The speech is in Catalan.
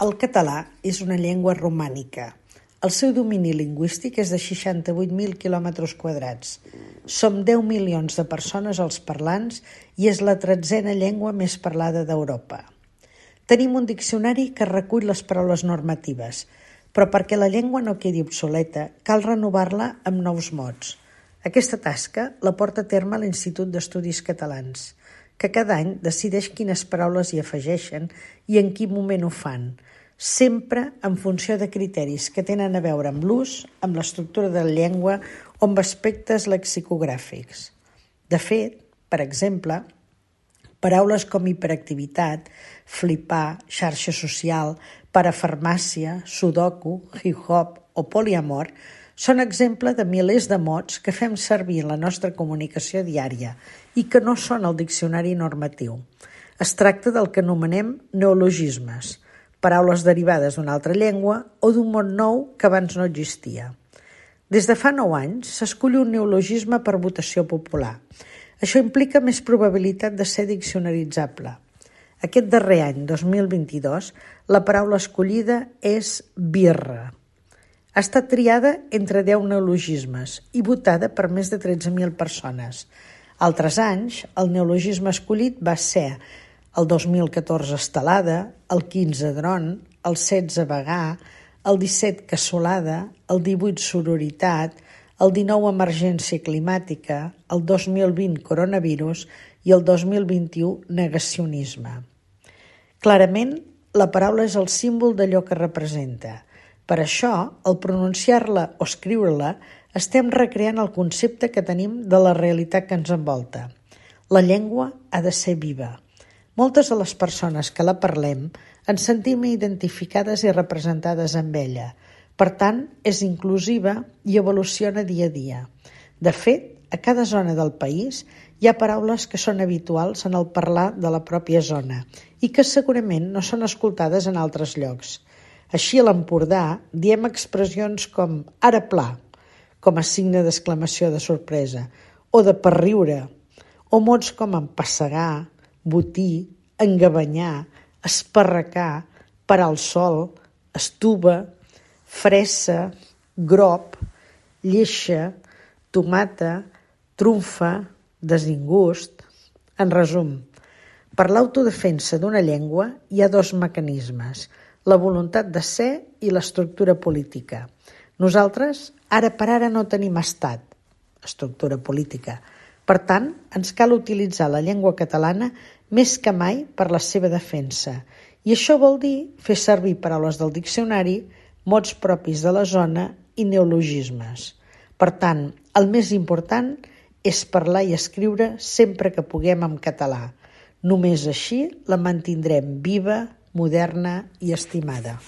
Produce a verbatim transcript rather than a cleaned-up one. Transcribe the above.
El català és una llengua romànica. El seu domini lingüístic és de seixanta-vuit mil quilòmetres quadrats. Som deu milions de persones els parlants i és la tretzena llengua més parlada d'Europa. Tenim un diccionari que recull les paraules normatives, però perquè la llengua no quedi obsoleta, cal renovar-la amb nous mots. Aquesta tasca la porta a terme l'Institut d'Estudis Catalans, que cada any decideix quines paraules hi afegeixen i en quin moment ho fan, sempre en funció de criteris que tenen a veure amb l'ús, amb l'estructura de la llengua o amb aspectes lexicogràfics. De fet, per exemple, paraules com hiperactivitat, flipar, xarxa social, parafarmàcia, sudoku, hip-hop o poliamor són exemple de milers de mots que fem servir en la nostra comunicació diària i que no són al diccionari normatiu. Es tracta del que anomenem neologismes, paraules derivades d'una altra llengua o d'un mot nou que abans no existia. Des de fa nou anys s'escull un neologisme per votació popular. Això implica més probabilitat de ser diccionaritzable. Aquest darrer any, dos mil vint-i-dos, la paraula escollida és birra. Ha estat triada entre deu neologismes i votada per més de tretze mil persones. Altres anys, el neologisme escollit va ser el dos mil catorze estelada, el quinze dron, el setze vegà, el disset cassolada, el divuit sororitat, el dinou emergència climàtica, el dos mil vint coronavirus i el dos mil vint-i-u negacionisme. Clarament, la paraula és el símbol d'allò que representa. Per això, al pronunciar-la o escriure-la, estem recreant el concepte que tenim de la realitat que ens envolta. La llengua ha de ser viva. Moltes de les persones que la parlem ens sentim identificades i representades amb ella. Per tant, és inclusiva i evoluciona dia a dia. De fet, a cada zona del país hi ha paraules que són habituals en el parlar de la pròpia zona i que segurament no són escoltades en altres llocs. Així, a l'Empordà diem expressions com ara pla, com a signe d'exclamació de sorpresa, o de per riure, o mots com empassegar, botir, engabanyar, esparracar, parar el sol, estuva, fressa, grop, lleixa, tomata, trumfa, desingust. En resum, per l'autodefensa d'una llengua hi ha dos mecanismes, la voluntat de ser i l'estructura política. Nosaltres, ara per ara, no tenim estat, estructura política. Per tant, ens cal utilitzar la llengua catalana més que mai per la seva defensa. I això vol dir fer servir paraules del diccionari, mots propis de la zona i neologismes. Per tant, el més important és parlar i escriure sempre que puguem en català. Només així la mantindrem viva, moderna i estimada.